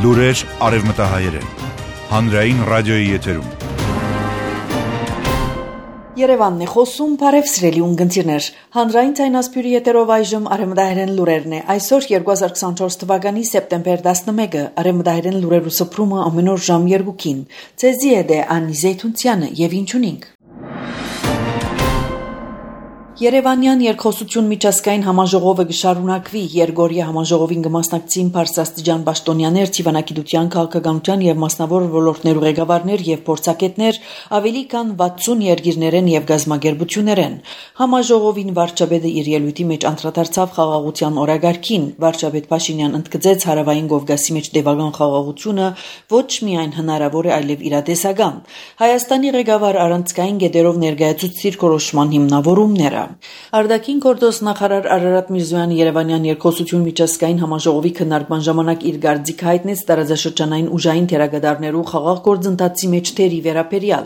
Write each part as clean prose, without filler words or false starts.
Լուրեր արևմտահայերեն, հանրային ռադիոյի եթերում։ Երևանն է խոսում, բարև սիրելի ունգընտիրներ, հանրային ցայնասպյուրի եթերով այժմ արևմտահայերեն լուրերն է, այսօր 2024 թվականի սեպտեմբեր 11, արևմտահայերեն լուրերու սփռումը ամեն օր ժամ 2-ին, ցեզի է դե Անի Զեյթունցյանը եւ ինչունինք։ Երևանյան երկխոսություն միջազգային համաժողովը կշարունակվի, Երգորիա համաժողովին կմասնակցին բարձրաստիճան պաշտոնյաներ, թիվանակիտության, քաղաքականության եւ մասնավոր ոլորտներու ղեկավարներ եւ փորձագետներ, ավելի քան 60 երկիրներեն եւ գազագերբություններեն։ Համաժողովին վարչապետը իր ելույթի մեջ անդրադարձավ խաղաղության օրագարկին։ Վարչապետ Փաշինյան ընդգծեց հարավային Կովկասի մեջ տևական խաղաղությունը ոչ միայն հնարավոր է, այլև իրատեսական։ Հայաստանի ղեկավար առանցքային գետերով ներկայացուցիչ դիրքորոշման հիմնավորումները։ Արտաքին գործոս նախարար Արարատ Միրզոյանը Երևանյան երկխոսություն միջազգային համաժողովի քննարկման ժամանակ իր կարծիքը հայտնեց տարածաշրջանային ուժային թերագադարներու խաղաղ գործընթացի մեջ թերի վերաբերյալ։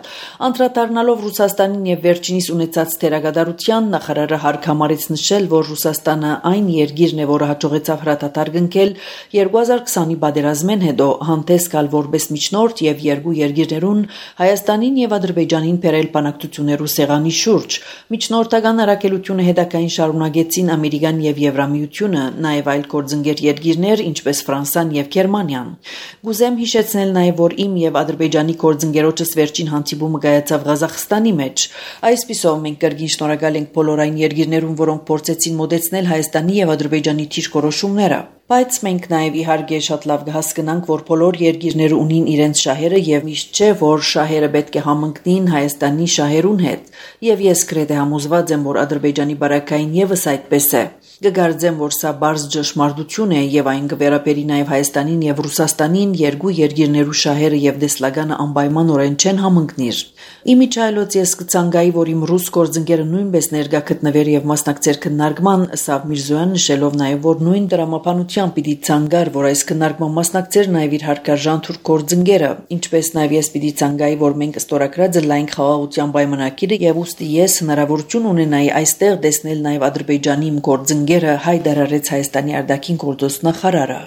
Անդրադառնալով Ռուսաստանին եւ վերջինիս ունեցած թերագադարության, նախարարը հարկ համարեց նշել, որ Ռուսաստանը այն երկիրն է, որը հաջողեցավ հրատատար կնքել 2020-ի պատերազմեն հետո, հանդես գալ որպես միջնորդ եւ երկու երկիրներուն Հայաստանին եւ Ադրբեջանին բերել բանակցություններու սեղանի շուրջ։ Միջնորդական առաքելությունը հետագային շարունակեցին Ամերիկան եւ Եվրամիությունը, նաեւ այլ գործընկեր երկիրներ, ինչպես Ֆրանսիան եւ Գերմանիան։ Գուզեմ հիշեցնել նաեւ, որ իմ եւ Ադրբեջանի գործընկերոջս վերջին հանդիպումը կայացավ Ղազախստանի մեջ։ Այսպիսով մենք կրկին շնորհակալ ենք բոլոր այն երկիրներուն, որոնք փորձեցին մոդեցնել Հայաստանի եւ Ադրբեջանի դիրքորոշումները։ Բայց մենք նաև իհարկե շատ լավ կհասկանանք, որ բոլոր երկիրները ունին իրենց շահերը եւ միշտ չէ, որ շահերը պետք է համընկնին Հայաստանի շահերուն հետ։ Եվ ես գրեթե համոզված եմ, որ Ադրբեջանի բարակային եւս այդպես է։ Կգարձեմ, որ սա բարձ ճշմարտություն է եւ այն կվերապերի նաեւ Հայաստանին եւ Ռուսաստանին, երկու երկիրներու շահերը եւ դեսլագանը անպայմանորեն չեն համընկնիր։ Իմիջայլոց ես կցանկայի, որ իմ ռուս գործընկերը նույնպես ներկա գտնվեր եւ մասնակցեր քննարկման, Սավ Միրզոյան նշելով նաեւ, որ նույն դրամապանությամբ պիտի ցանկար, որ այս քննարկման մասնակցեր նաեւ իր հարկարժան թուրք գործընկերը, ինչպես նաեւ ես պիտի ցանկայի, որ մենք ստորագրած լայն խաղաղության պայմանագիրը եւ ուստի ես հնարավորություն ունենայի այստեղ տեսնել նաեւ Ադրբեջանի իմ գործընկերը հայտարարեց Հայաստանի արտաքին գործոս նախարարը։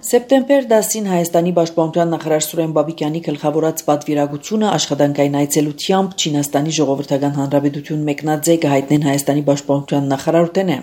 Սեպտեմբեր 10-ին Հայաստանի պաշտպանության նախարար Սուրեն Բաբիկյանի գլխավորած պատվիրակությունը աշխատանքային այցելությամբ Չինաստանի ժողովրդական հանրապետություն մեկնած է կհայտնեն Հայաստանի պաշտպանության նախարարութենը։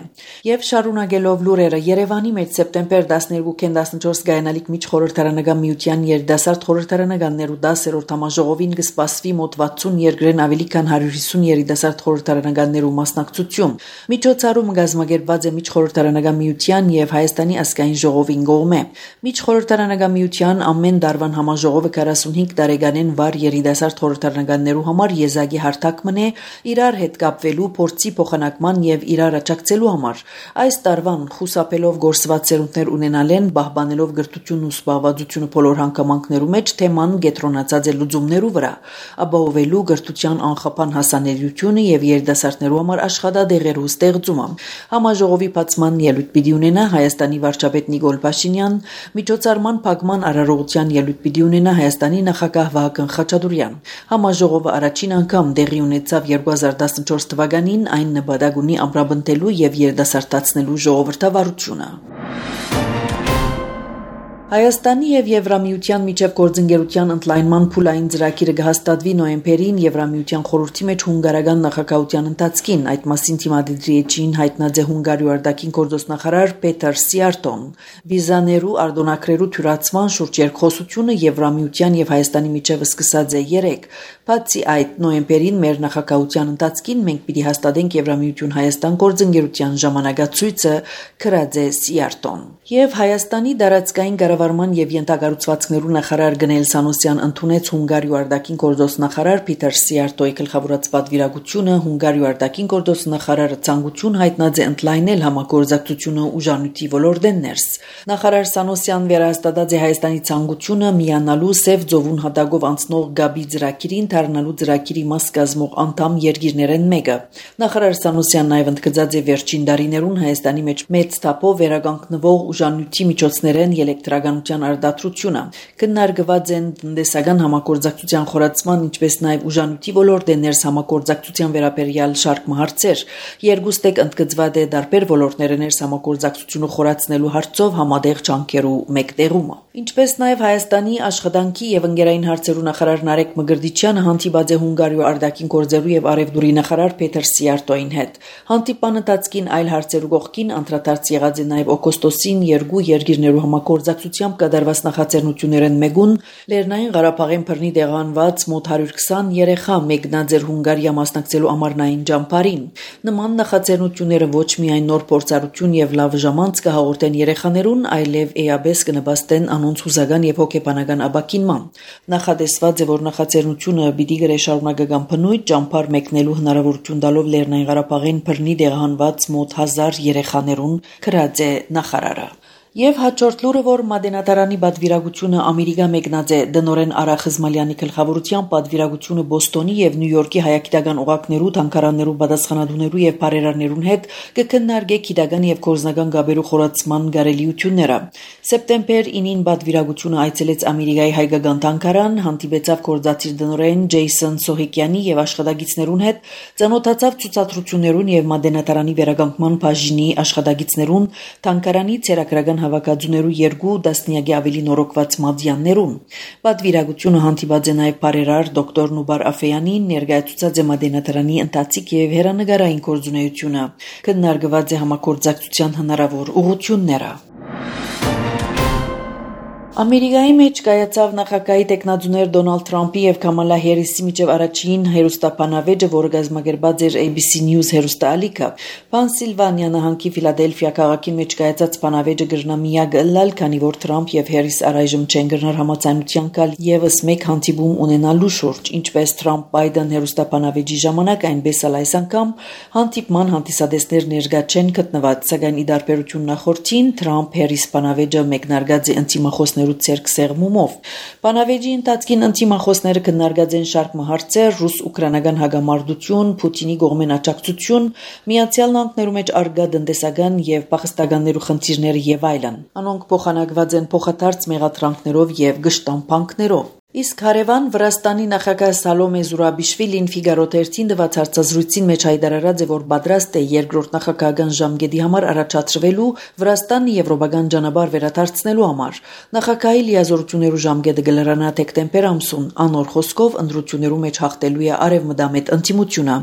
Եվ շարունակելով լուրերը, Երևանի մեջ սեպտեմբեր 12-ին 14 գայանալիք միջխորհրդարանական միության երիտասարդ խորհրդարանականներու 10-րդ համաժողովին կսպասվի մոտ 60 երկրեն ավելի քան 150 երիտասարդ խորհրդարանականներու մասնակցություն։ Միջոցառումը կազմակերպված է միջխորհրդարանական միության եւ Հայաստանի ազգային ժողովին կողմէ։ Միջխորհրդարանական միության ամեն դարվան համաժողովը 45 տարեկանեն վար երիտասարդ խորհրդարանականներու համար եզակի հարթակ մնե իրար հետ կապվելու, փորձի փոխանակման եւ իրար աջակցելու համար։ Այս տարվան խուսափելով գործված սերունդներ ունենալեն, պահպանելով գրթությունն ու զբաղվածությունը բոլոր հանգամանքներու մեջ, թեման կենտրոնացած է լուծումներու վրա, ապահովելու գրթության անխափան հասանելիությունը եւ երիտասարդներու համար աշխատադեղերու ստեղծումը։ Համաժողովի բացման ելույթ պիտի ունենա Հայաստանի վարչապետ Նիկոլ Փաշինյան, միջոցառման փակման արարողության ելույթ պիտի ունենա Հայաստանի նախագահ Վահագն Խաչատուրյան։ Համաժողովը առաջին անգամ տեղի ունեցավ 2014 թվականին, այն նպատակ ունի ամրապնդելու եւ երիտասարդացնելու ժողովրդավարությունը։ Հայաստանի եւ Եվրամիության միջև գործընկերության ընդլայնման փուլային ծրագիրը կհաստատվի նոյեմբերին Եվրամիության խորհրդի մեջ հունգարական նախագահության ընթացքին, այդ մասին թիմադրիչին հայտնած է Հունգարիա արտաքին գործոս նախարար Պետեր Սիարտոն։ Վիզաներու արտոնագրերու թյուրացման շուրջ երկխոսությունը Եվրամիության եւ Հայաստանի միջև սկսած է 3։ Բացի այդ, նոյեմբերին մեր նախագահության ընթացքին մենք պիտի հաստատենք Եվրամիություն Հայաստան գործընկերության ժամանակացույցը, գրած է Սիարտոն։ Եվ Հայաստանի դարածքային կառավարման եւ յենթակառուցվածքներու նախարար Գնել Սանոսյան ընդունեց Հունգարիա արտաքին գործոս նախարար Պետեր Սիարտոյի գլխավորած պատվիրակությունը։ Հունգարիա արտաքին գործոս նախարարը ցանկություն հայտնած է ընդլայնել համագործակցությունը ուժանույթի ոլորտեն ներս։ Նախարար Սանոսյան վերահաստատած է Հայաստանի ցանկությունը միանալու Սև ծովուն հատակով անցնող Գաբի ծրագիրին, դառնալու ծրագիրի մաս կազմող անդամ երկիրներեն մեկը։ Նախարար Սանոսյանն նաև ընդգծած է վերջին տարիներուն Հայաստանի մեջ մեծ թափով վերականգնվող ուժանույթի միջոցներեն խորականության արդարացությունը։ Քննարկված են տնտեսական համագործակցության խորացման, ինչպես նաև ուժանույթի ոլորտի ներս համագործակցության վերաբերյալ շարք հարցեր։ Երկուստեք ընդգծված է դարբեր ոլորտների ներս համագործակցությունը խորացնելու հարցով համատեղ ջանքերու մեկտեղումը։ Ինչպես նաև Հայաստանի աշխատանքի եւ ընկերային հարցերու նախարար Նարեկ Մգրտիչյանը հանդիպած է Հունգարիո արտաքին գործերու եւ արևդուրի նախարար Պետր Սիարտոյին հետ։ Հանդիպան ընթացքին այլ հարցերու կողքին անդրադարձ եղած է նաև օգոստոսին երկու երկիրներու համագործակցությամբ կատարված նախաձեռնություններն մեկուն Լեռնային Ղարաբաղին բռնի տեղանված մոտ 120 երեխա մեկնած էր Հունգարիա մասնակցելու ամառնային ջամփարին։ Նման նախաձեռնությունները ոչ միայն նոր փորձառություն եւ լավ ժամանց կհաղորդեն երեխաներուն, այլև էաբես կնպաստեն անոնց հուզական եւ հոգեբանական ապակինման։ Նախադեсված է, որ նախաձեռնությունը պիտի գրե շարունակական բնույթ ջամփար մեկնելու հնարավորություն տալով Լեռնային Ղարաբաղին բռնի տեղահանված մոտ 1000 երեխաներուն, գրած է նախարարը։ Եվ հաջորդ լուրը, որ Մատենադարանի պատվիրակությունը Ամերիկա մեկնած է դնորեն Արա Խզմալյանի գլխավորությամբ պատվիրակությունը Բոստոնի եւ Նյու Յորքի հայագիտական օղակներու, թանգարաններու, պատասխանատուներու եւ բարերարներուն հետ կքննարկե գիտական եւ գործնական գաբերու խորացման գարելիությունները։ Սեպտեմբեր 9-ին պատվիրակությունը այցելեց Ամերիկայի հայկական թանգարան, հանդիպեցավ գործադիր դնորեն Ջեյսոն Սոհիկյանի եւ աշխատագիցներուն հետ, ծանոթացավ ցուցադրություններուն եւ Մատենադարանի վերականգնման բաժինի աշխատագիցներուն, թանգարանի ցերակրական հավաքածուներու երկու դասնյակի ավելի նորոգված մադյաններուն։ Պատվիրակությունը հանդիպած է նաև բարերար դոկտոր Նուբար Աֆեյանին, ներկայացուցած է Մատենադարանի ընթացիկ եւ հերանեկարային գործունեությունը։ Քննարկված է համագործակցության հնարավոր ուղղությունները։ Ամերիկայի մեջ կայացավ նախագահի տեխնատուներ Դոնալդ Թրամփի եւ Կամալա Հերիսի միջև առաջին հերոստապանավեճը, որը կազմակերպած էր ABC News հերոստալիքը։ Պենսիլվանիա նահանգի Ֆիլադելֆիա քաղաքի մեջ կայացած պանավեճը գրնամիակ ըլլալ, քանի որ Թրամփ եւ Հերիս առայժմ չեն գրնար համաձայնության կալ եւս մեկ հանդիպում ունենալու շուրջ, ինչպես Թրամփ-Բայդեն հերոստապանավեճի ժամանակ, այնպես էլ այս անգամ հանդիպման հանդիսադեսներ ներկա չեն գտնված, սակայն ի դարբերություն նախորդին Թրամփ-Հերիս պանավեճը մեկնարկած է ընտիմախոսներ ցերկ սեղմումով։ Պանավեճի ընթացքին ընտիմախոսները քննարկած են շարք հարցեր՝ ռուս-ուկրաինական հագամարտություն, Պուտինի կողմեն աջակցություն, Միացյալ Նահանգներու մեջ արգա տնտեսական եւ փախստականներու խնդիրները եւ այլն։ Անոնք փոխանակված են փոխադարձ մեղադրանքներով եւ գշտամփանքներով։ Իսկ հարևան Վրաստանի նախագահ Սալոմե Զուրաբիշվիլին Ֆիգարո թերթին տված հարցազրույցին մեջ հայտարարած է, որ պատրաստ է երկրորդ նախագահական ժամկետի համար առաջադրվելու Վրաստանը եվրոպական ճանապարհ վերադարձնելու համար։ Նախագահի լիազորություններու ժամկետը կլրանա դեկտեմբեր ամսուն, անոր խոսքով ընտրություններու մեջ հաղթելու է արևմտամետ ընտիմությունը։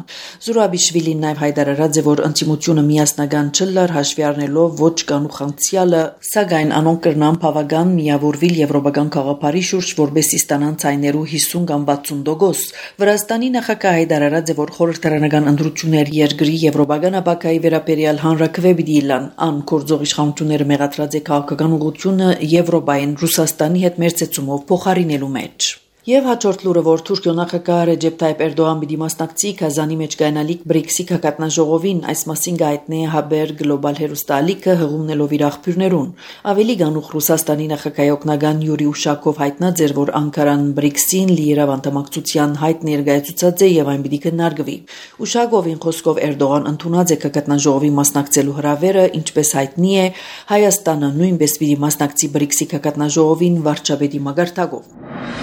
Զուրաբիշվիլին նաև հայտարարած է, որ ընտիմությունը միասնական չլար հաշվի առնելով ոչ կանուխանցիալը, սակայն անոնք կրնան բավական միավորվել եվրոպական գաղափարի շուրջ, որբեսի ցայներու 50 կամ 60%։ Վրաստանի նախագահ հայտարարած է, որ խորհրդարանական ընտրություններ երկրի եվրոպական ապակայի վերաբերյալ հանրաքվե պիտի լան, ան գործող իշխանությունները մեղադրած է քաղաքական ուղղությունը Եվրոպային Ռուսաստանի հետ մերձեցումով փոխարինելու մեջ։ Եվ հաջորդ լուրը, որ Թուրքիո նախագահ Ռեջեփ Թայիփ Էրդողան պիտի մասնակցի Կազանի մեջ կայանալիք BRICS-ի հակատնաժողովին, այս մասին գայտնե Haber Global հերոստալիքը հղումնելով իր աղբյուրներուն։ Ավելի գանուխ Ռուսաստանի նախագահի օգնական Յուրի Ուշակով հայտնած էր, որ Անկարան BRICS-ին լիիրավ անդամակցության հայտ ներկայացուցած է եւ այն պիտի քննարկվի։ Ուշակովին խոսքով Էրդողան ընդունած է հակատնաժողովի մասնակցելու հրավերը, ինչպես հայտնի է, Հայաստանը նույնպես պիտի մասնակցի BRICS-ի հակատնաժողովին վարչապետի մագարտակով։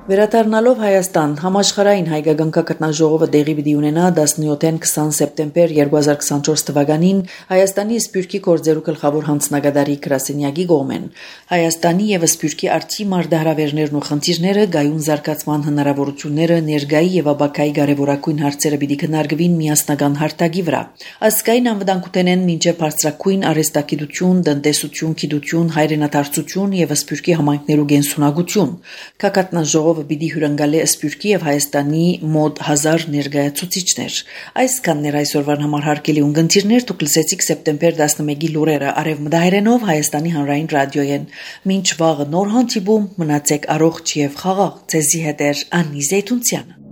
Վերադառնալով Հայաստան, համաշխարհային հայկական կաթնաժողովը տեղի պիտի ունենա 17-ին 20 սեպտեմբեր 2024 թվականին Հայաստանի Սփյուռքի գործերու գլխավոր հանձնագետարի գրասենյակի կողմեն։ Հայաստանի եւ Սփյուռքի արտի մարտահրավերներն ու խնդիրները, գայուն զարգացման հնարավորությունները, ներգայի եւ ապակայի կարևորագույն հարցերը պիտի քննարկվին միասնական հարթակի վրա։ Ազգային անվտանգութենեն մինչեւ բարձրակույն արհեստագիտություն, տնտեսություն, գիտություն, հայրենադարձություն եւ Սփյուռքի համայնքներու գենսունակություն։ Կաթնաժողովը պիտի հյուրընկալի Սփյուռքի եւ Հայաստանի մոտ 1000 ներկայացուցիչներ։ Այսքաններ այսօրվան համար հարգելի ունգընտիրներ, դուք լսեցիք սեպտեմբեր 11-ի լուրերը արևմտահայերենով Հայաստանի հանրային ռադիոյեն։ Մինչ վաղը նոր հանդիպում, մնացեք առողջ եւ խաղաղ։ Ձեզի հետ է Անի Զեյթունցյանը։